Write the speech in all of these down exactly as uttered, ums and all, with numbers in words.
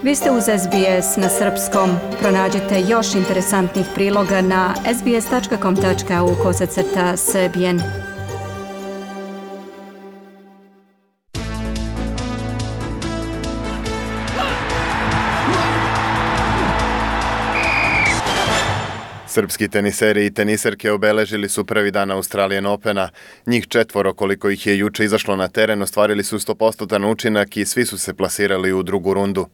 Vi ste uz S B S na srpskom. Pronađite još interesantnih priloga na sbs.com.au kosacrta srbijen. Srpski teniseri i teniserke obeležili su prvi dan Australian Opena. Njih četvoro, koliko ih je juče izašlo na teren, ostvarili su sto posto učinak i svi su se plasirali u drugu rundu.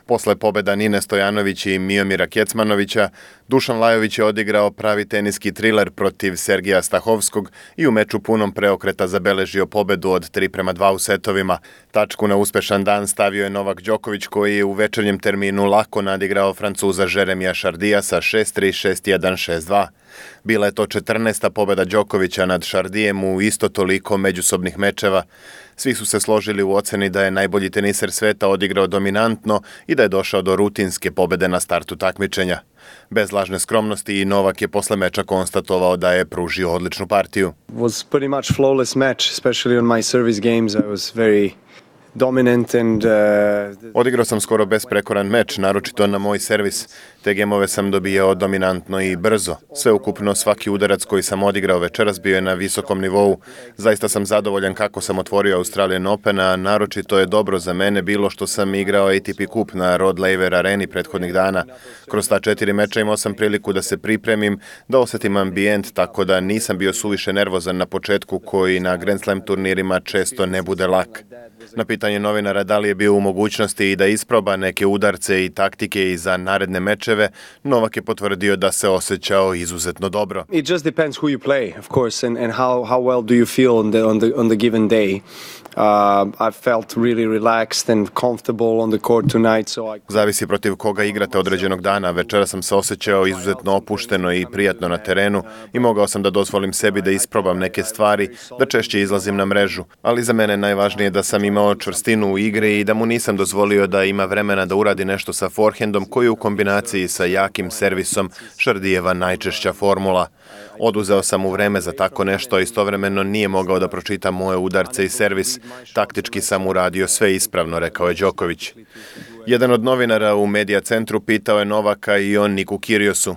Posle pobjeda Nine Stojanović i Miomira Kecmanovića, Dušan Lajović je odigrao pravi teniski triler protiv Sergija Stahovskog i u meču punom preokreta zabeležio pobedu od tri prema dva u setovima. Tačku na uspešan dan stavio je Novak Đoković, koji je u večernjem terminu lako nadigrao Francuza Jeremija Šardija sa šest tri, šest jedan, šest dva. Bila je to četrnaesta pobjeda Đokovića nad Šardijem u isto toliko međusobnih mečeva. Svi su se složili u oceni da je najbolji teniser sveta odigrao dominantno i da je došao do rutinske pobjede na startu takmičenja. Bez lažne skromnosti i Novak je posle meča konstatovao da je pružio odličnu partiju. It was pretty much flawless match, especially on my service games. I was very dominant and uh... Odigrao sam skoro besprekoran meč, naročito na moj servis. Te gemove sam dobijao dominantno i brzo. Sveukupno svaki udarac koji sam odigrao večeras bio je na visokom nivou. Zaista sam zadovoljan kako sam otvorio Australian Open, a naročito je dobro za mene bilo što sam igrao A T P Cup na Rod Laver areni prethodnih dana. Kroz ta četiri meča imao sam priliku da se pripremim, da osetim ambijent, tako da nisam bio suviše nervozan na početku, koji na Grand Slam turnirima često ne bude lak. Na pitanje novinara da li je bio u mogućnosti i da isproba neke udarce i taktike i za naredne mečeve, Novak je potvrdio da se osjećao izuzetno dobro. It just depends who you play, of course, and, and how, how well do you feel on the, on the, on the given day. Uh, I felt really relaxed and comfortable on the court tonight, so I... Zavisi protiv koga igrate određenog dana. Večera sam se osjećao izuzetno opušteno i prijatno na terenu i mogao sam da dozvolim sebi da isprobam neke stvari, da češće izlazim na mrežu. Ali za mene najvažnije da sam imao čvrstinu u igri i da mu nisam dozvolio da ima vremena da uradi nešto sa forehandom, koji je u kombinaciji sa jakim servisom Šardijeva najčešća formula. Oduzeo sam mu vreme za tako nešto, a istovremeno nije mogao da pročita moje udarce i servis. Taktički sam uradio sve ispravno, rekao je Đoković. Jedan od novinara u Medija centru pitao je Novaka i on Niku Kyrgiosu.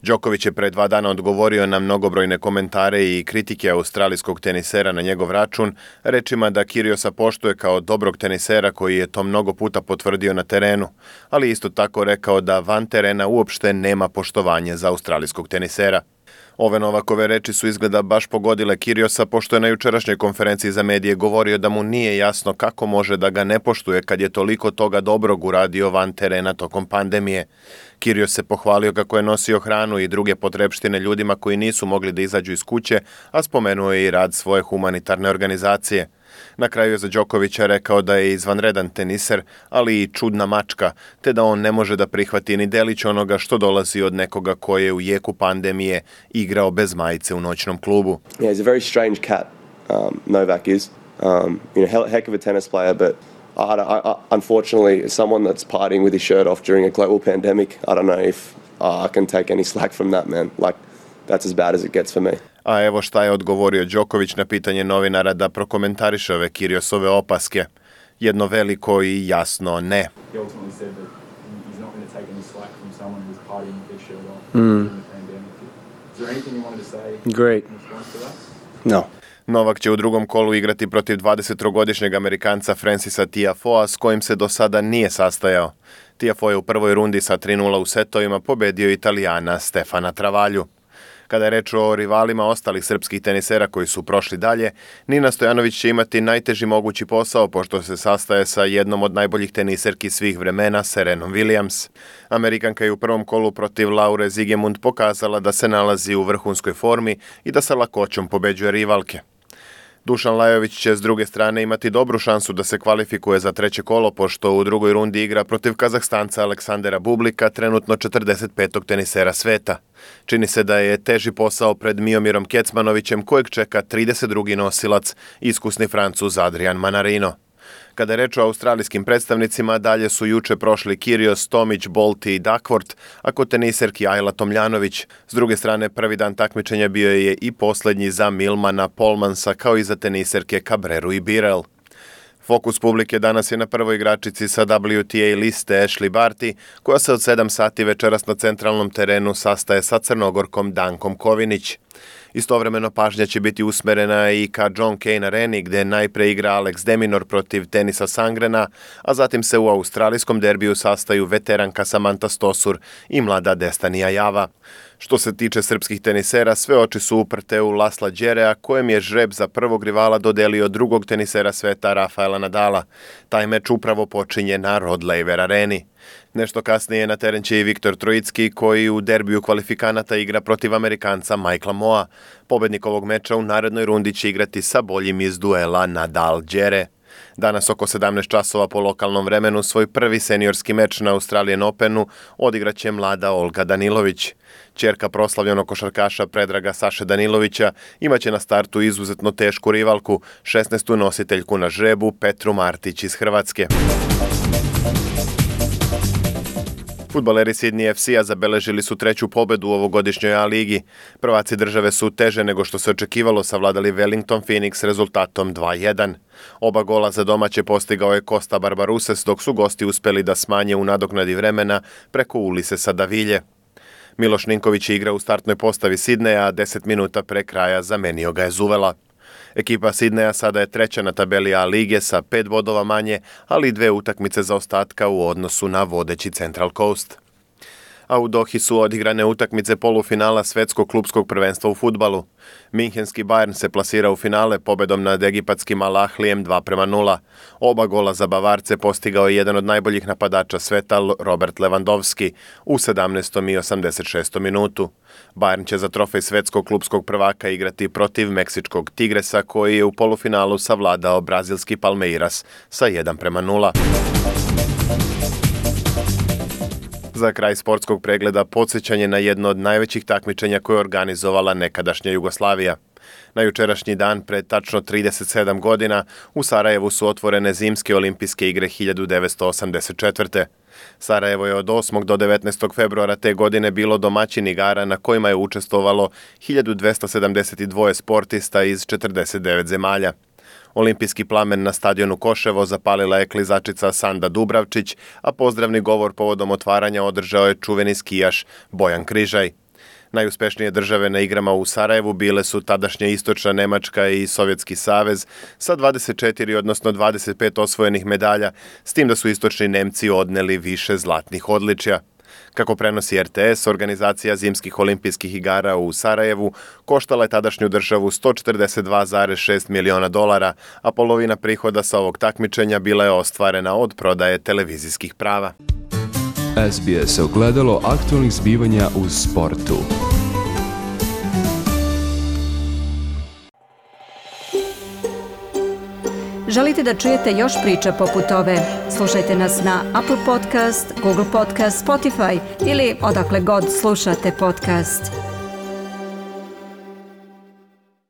Đoković je pre dva dana odgovorio na mnogobrojne komentare i kritike australijskog tenisera na njegov račun, rečima da Kyrgiosa poštuje kao dobrog tenisera koji je to mnogo puta potvrdio na terenu, ali isto tako rekao da van terena uopšte nema poštovanje za australijskog tenisera. Ove Novakove reči su izgleda baš pogodile Kyrgiosa, pošto je na jučerašnjoj konferenciji za medije govorio da mu nije jasno kako može da ga ne poštuje kad je toliko toga dobrog uradio van terena tokom pandemije. Kyrgios se pohvalio kako je nosio hranu i druge potrepštine ljudima koji nisu mogli da izađu iz kuće, a spomenuo je i rad svoje humanitarne organizacije. Na kraju je za Đokovića rekao da je izvanredan teniser, ali i čudna mačka, te da on ne može da prihvati ni delić onoga što dolazi od nekoga ko je u jeku pandemije igrao bez majice u noćnom klubu. Yeah, he's a very strange cat, um, Novak is. Um, you know, heck of a tennis player, but I, I, I, unfortunately, as someone that's partying with his shirt off during a global pandemic, I don't know if uh, I can take any slack from that, man. Like, that's as bad as it gets for me. A evo šta je odgovorio Đoković na pitanje novinara da prokomentariše ove Kyrgiosove opaske. Jedno veliko i jasno ne. Mm. Great. No. Novak će u drugom kolu igrati protiv dvadesettrogodišnjeg Amerikanca Francisa Tiafoea, s kojim se do sada nije sastajao. Tiafoe je u prvoj rundi sa tri nula u setovima pobedio Italijana Stefana Travalju. Kada je reč o rivalima ostalih srpskih tenisera koji su prošli dalje, Nina Stojanović će imati najteži mogući posao, pošto se sastaje sa jednom od najboljih teniserki svih vremena, Serenom Williams. Amerikanka je u prvom kolu protiv Laure Zigemund pokazala da se nalazi u vrhunskoj formi i da sa lakoćom pobeđuje rivalke. Dušan Lajović će s druge strane imati dobru šansu da se kvalifikuje za treće kolo, pošto u drugoj rundi igra protiv Kazahstanca Aleksandera Bublika, trenutno četrdeset petog tenisera sveta. Čini se da je teži posao pred Miomirom Kecmanovićem, kojeg čeka trideset drugi nosilac, iskusni Francuz Adrian Manarino. Kada je reč o australijskim predstavnicima, dalje su juče prošli Kyrgios, Tomić, Bolt i Duckworth, a kod teniserki Ajla Tomljanović. S druge strane, prvi dan takmičenja bio je i poslednji za Milmana Polmansa, kao i za teniserke Cabreru i Birel. Fokus publike danas je na prvoj igračici sa W T A liste Ashleigh Barty, koja se od sedam sati večeras na centralnom terenu sastaje sa Crnogorkom Dankom Kovinić. Istovremeno pažnja će biti usmerena i ka John Cain areni, gde najpre igra Alex de Minaur protiv Tenisa Sangrena, a zatim se u australijskom derbiju sastaju veteranka Samantha Stosur i mlada Destanija Java. Što se tiče srpskih tenisera, sve oči su uprte u Lasla Đerea, kojem je žreb za prvog rivala dodelio drugog tenisera sveta Rafaela Nadala. Taj meč upravo počinje na Rod Laver areni. Nešto kasnije na teren će i Viktor Trojicki, koji u derbiju kvalifikanata igra protiv Amerikanca Michaela Moa. Pobednik ovog meča u narednoj rundi će igrati sa boljim iz duela Nadal-Đere. Danas oko sedamnaest časova po lokalnom vremenu svoj prvi seniorski meč na Australian Openu odigraće mlada Olga Danilović. Ćerka proslavljenog košarkaša Predraga Saše Danilovića imaće na startu izuzetno tešku rivalku, šesnaestu nositeljku na žrebu Petru Martić iz Hrvatske. Fudbaleri Sydney F C-a zabeležili su treću pobedu u ovogodišnjoj A ligi. Prvaci države su teže nego što se očekivalo savladali Wellington Phoenix rezultatom dva jedan. Oba gola za domaće postigao je Costa Barbaruses, dok su gosti uspeli da smanje u nadoknadi vremena preko Ulisesa Davilje. Miloš Ninković igra u startnoj postavi Sidneja, a deset minuta pre kraja zamenio ga je Zuvela. Ekipa Sidneja sada je treća na tabeli A lige sa pet bodova manje, ali dve utakmice zaostatka u odnosu na vodeći Central Coast. A u Dohi su odigrane utakmice polufinala svetskog klupskog prvenstva u fudbalu. Minhenski Bayern se plasira u finale pobedom nad egipatskim Al Ahlijem dva prema nula. Oba gola za Bavarce postigao je jedan od najboljih napadača sveta Robert Lewandowski u sedamnaestom i osamdeset šestom minutu. Bayern će za trofej svetskog klupskog prvaka igrati protiv meksičkog Tigresa, koji je u polufinalu savladao brazilski Palmeiras sa jedan prema nula. Za kraj sportskog pregleda podsjećanje na jedno od najvećih takmičenja koje je organizovala nekadašnja Jugoslavija. Na jučerašnji dan, pred tačno trideset sedam godina, u Sarajevu su otvorene zimske olimpijske igre hiljadu devetsto osamdeset četvrte. Sarajevo je od osmog do devetnaestog februara te godine bilo domaćin igara na kojima je učestvovalo hiljadu dvesta sedamdeset dva sportista iz četrdeset devet zemalja. Olimpijski plamen na stadionu Koševo zapalila je klizačica Sanda Dubravčić, a pozdravni govor povodom otvaranja održao je čuveni skijaš Bojan Križaj. Najuspešnije države na igrama u Sarajevu bile su tadašnja Istočna Nemačka i Sovjetski savez sa dvadeset četiri, odnosno dvadeset pet osvojenih medalja, s tim da su istočni Nemci odneli više zlatnih odličja. Kako prenosi R T S, organizacija zimskih olimpijskih igara u Sarajevu koštala je tadašnju državu sto četrdeset dva zarez šest miliona dolara, a polovina prihoda sa ovog takmičenja bila je ostvarena od prodaje televizijskih prava. S B S ogledalo aktualnih zbivanja u sportu. Želite da čujete još priča poput ove? Slušajte nas na Apple Podcast, Google Podcast, Spotify ili odakle god slušate podcast.